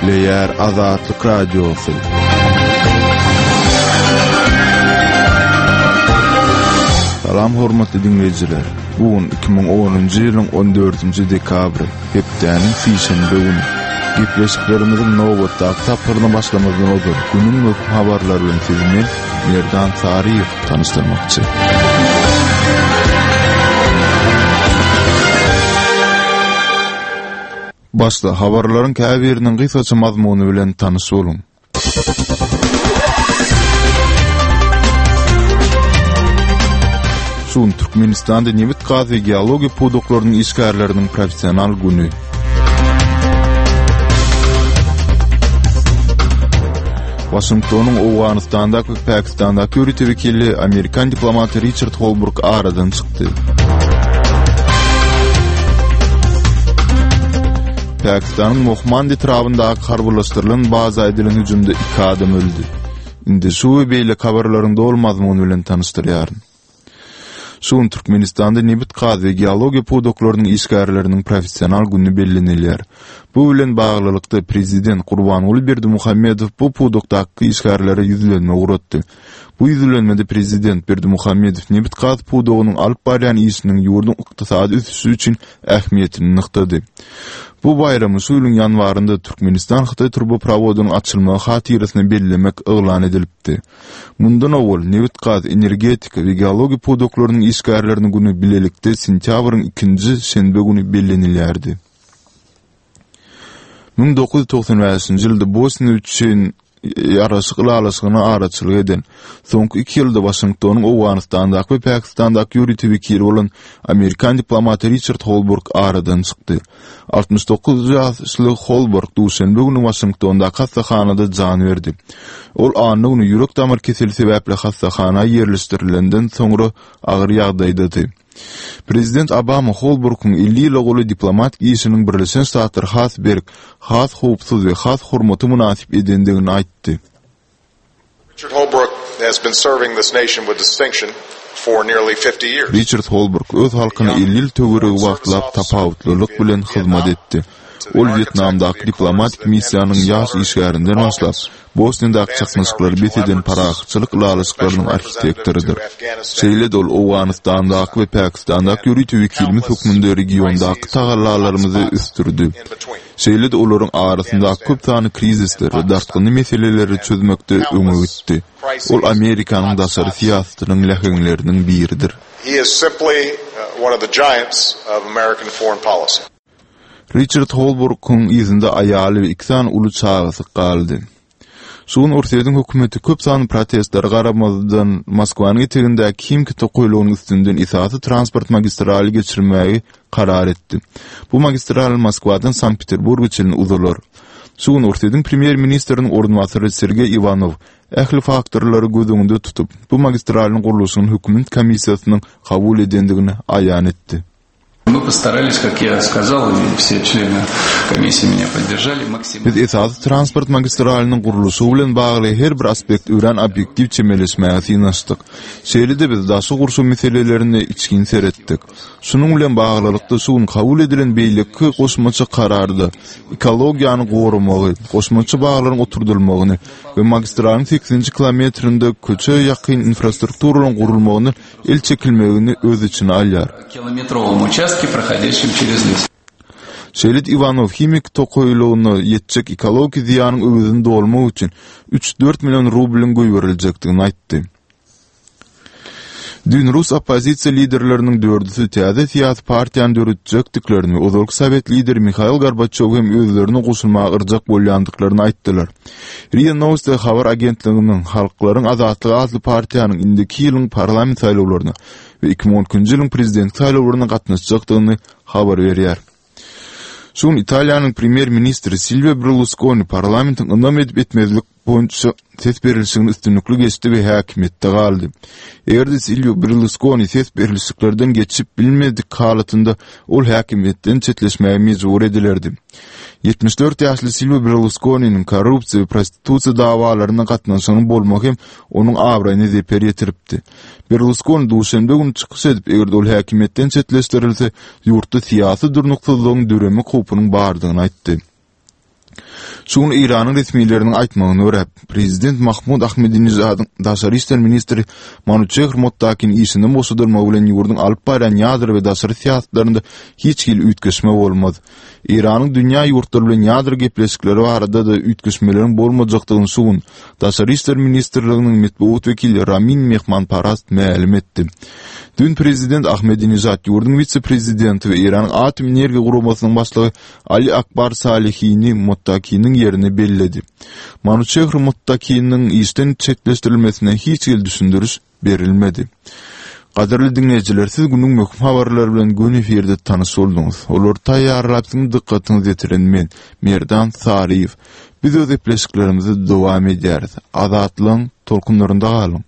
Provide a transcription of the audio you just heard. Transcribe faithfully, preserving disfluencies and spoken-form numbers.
Gepleýär Azatlyk Radiosy. Salam hormatly diňleýjiler. Bu gün iki müň onunjy ýylyň on dördünji dekabry, hepdäniň sişenbe güni. Gepleşiklerimiziň nobatdaky tapgyryna başlamazdan ozal günüň möhüm habarlary bilen sizi men, Merdan Saryýew tanyşdyrmakçy. Başda habarlaryň käbiriniň gysgaça mazmuny bilen tanyş boluň. Şu gün Türkmenistanda nebit-gaz we geologiýa pudaklarynyň işgärleriniň professional güni. Waşingtonyň Owganystandaky we Pakistandaky ýörite wekili amerikan diplomaty Riçard Holbruk aradan çykdy. Pakistanyň Mohmand etrabyndaky harbylaşdyrylan baza edilen hüjümde iki adam öldi. Indi şu we beýleki habarlaryň doly mazmuny bilen tanyşdyrýaryn. Şu gün Türkmenistanda nebit-gaz we geologiýa pudaklarynyň işgärleriniň professional güni bellenilýär. Bu bilen baglylykda prezident Gurbanguly Berdimuhamedow bu pudakdaky işgärlere ýüzlenme ugratdy. Bu ýüzlenmede prezident Berdimuhamedow nebit-gaz pudagynyň alyp barýan işiniň ýurduň ykdysady ösüşi üçin ähmiýetini nygtady. Bu baýramy şu ýylyň ýanwarynda Türkmenistan-Hytaý turbaprowodynyň açylmagy hatyrasyna bellemek yglan edilipdi. Mundan owal, nebit-gaz, energetika we geologiýa pudaklarynyň işgärleriniň güni bilelikde sentýabryň ikinji şenbe güni bellenilýärdi. Müň dokuz ýüz togsan bäşinji ýylda Bosniýa üçin ýaraşyk ylalaşygyna araçylyk eden, soňky iki ýylda Waşingtonyň Owganystandaky we Pakistandaky ýörite wekili bolan amerikan diplomaty Riçard Holbruk aradan çykdy. Altmyş dokuz ýaşly Holbruk duşenbe güni Waşingtondaky hassahanada jan berdi. Ol anna güni ýürek-damar keseli sebäpli hassahana ýerleşdirilenden soňra agyr ýagdaýdady. Prezident Obama Holbrukyň elli ýyla golaý diplomatik işiniň Birleşen Ştatlary has berk, has howpsuz we has hormata mynasyp edendigini aýtdy. Richard Holbrooke has been serving this nation with distinction for nearly fifty years. Riçard Holbruk öz halkyna elli ýyl töweregi wagtlap tapawutlylyk bilen hyzmat etdi. Ol Wýetnamdaky diplomatik missiýanyň ýaş işgärinden başlap, Bosniýadaky çaknyşyklary bes eden parahatçylyk ylalaşyklarynyň arhitektorydyr. Şeýle-de ol Owganystandaky we Pakistandaky ýörite wekilimiz hökmünde regiondaky tagallalarymyzy ösdürdi. Şeýle-de olaryň arasyndaky köp sanly krizisleri we dartgynly meseleleri çözmekde öňe gitdi. Ol Amerikanyň daşary syýasatynyň läheňleriniň biridir. Riçard Holbrukyň yzynda aýaly we iki sany uly çagasy galdy. Şu gün Orsýetiň hökümeti köp sanly protestlere garamazdan, Moskwanyň etegindäki Himki tokaýlygynyň üstünden esasy transport magistraly geçirmegi karar etdi. Bu magistral Moskwadan Sankt-Peterburga çenli uzalar. Şu gün Orsýetiň premýer-ministriniň orunbasary Sergeý Iwanow ähli faktorlary göz öňünde tutup, bu magistralyň gurluşygyny hökümet komissiýasynyň kabul edendigini aýan etdi. Мы постарались, как я сказал, и все члены комиссии меня поддержали, максимально. Biz esasy transport magistralynyň gurluşygy bilen bagly her bir aspekte örän obýektiw çemeleşmäge synanyşdyk. Şeýle-de biz daşky gurşaw meselelerine içgin seretdik. Şunuň bilen baglylykda şu gün kabul edilen beýleki goşmaça kararda ekologiýany goramagy, goşmaça baglaryň oturdylmagyny we magistralyň sekizinji kilometrinde köçe ýakyn infrastrukturalaryň gurulmagyny el çekilmegini öz içine alýar. Kilometrowom uçastke, prohodýaşim çerez les. Şeýle-de Iwanow himiki tokaýlygyna ýetjek ekologiki zyýanyň öwezini dolmak üçin üç-dört million rublyň goýberiljekdigini aýtdy. Düýn rus oppozisiýa liderleriniň dördüsi täze syýasy partiýany döretjekdiklerini we ozalky sowet lideri Mihail Gorbaçýowy hem özlerine goşulmaga yrjak bolýandyklaryny aýtdylar. RIA Nowosti habar agentliginiň Halklaryň azatlygy atly partiýanyň indiki ýylyň parlament saýlawlaryna we iki müň on ikinji ýylyň prezidentlik saýlawlaryna gatnaşjakdygyny habar berýär. Şu gün Italiýanyň premýer-ministri Silwio Berluskoni parlamentiň ynam edip-etmezlik boýunça ses berlişigini üstünlikli geçdi we häkimiýetde galdy. Eger-de Silwio Berluskoni ses berlişiklerden geçip bilmedik halatynda ol häkimiýetden çetleşmäge mejbur edilerdi. Ýetmiş dört ýaşly Silwio Berluskoniniň korrupsiýa we prostitusiýa dawalaryna gatnaşygynyň bolmagy hem onuň abraýyna zeper ýetiripdi. Berluskoni duşenbe güni çykyş edip, eger-de ol häkimiýetden çetleşdirilse, ýurtda syýasy durnuksyzlygyň döremek howpunyň bardygyny aýtdy. Şu gün Eýranyň resmileriniň aýtmagyna görä, prezident Mahmud Ahmedinejadyň daşary işler ministri Manuçehr Mottakiniň işinden boşadylmagy bilen ýurduň alyp barýan ýadro we daşary syýasatlarynda hiç hili üýtgeşme bolmaz. Eýranyň dünýä ýurtlary bilen ýadro gepleşikleri barada-da üýtgeşmeleriň bolmajakdygyny şu gün Daşary işler ministrliginiň metbugat wekili Ramin Mehmanparast mälim etdi. Düýn prezident Ahmedinejad ýurduň wise-prezidenti we Eýranyň Atom energiýa guramasynyň başlygy Ali Akbar Salihini Mottakiniň ýerine belledi. Manuçehr Mottakiniň işden çetleşdirilmesine hiç hili düşündiriş berilmedi. Gadyrly diňleýjiler, siz günüň möhüm habarlary bilen göni efirde tanyş bolduňyz. Olary taýýarlap siziň dykgatyňyza ýetiren men, Merdan Saryýew. Biz öz gepleşiklerimizi dowam edýäris. Azatlygyň tolkunlarynda galyň!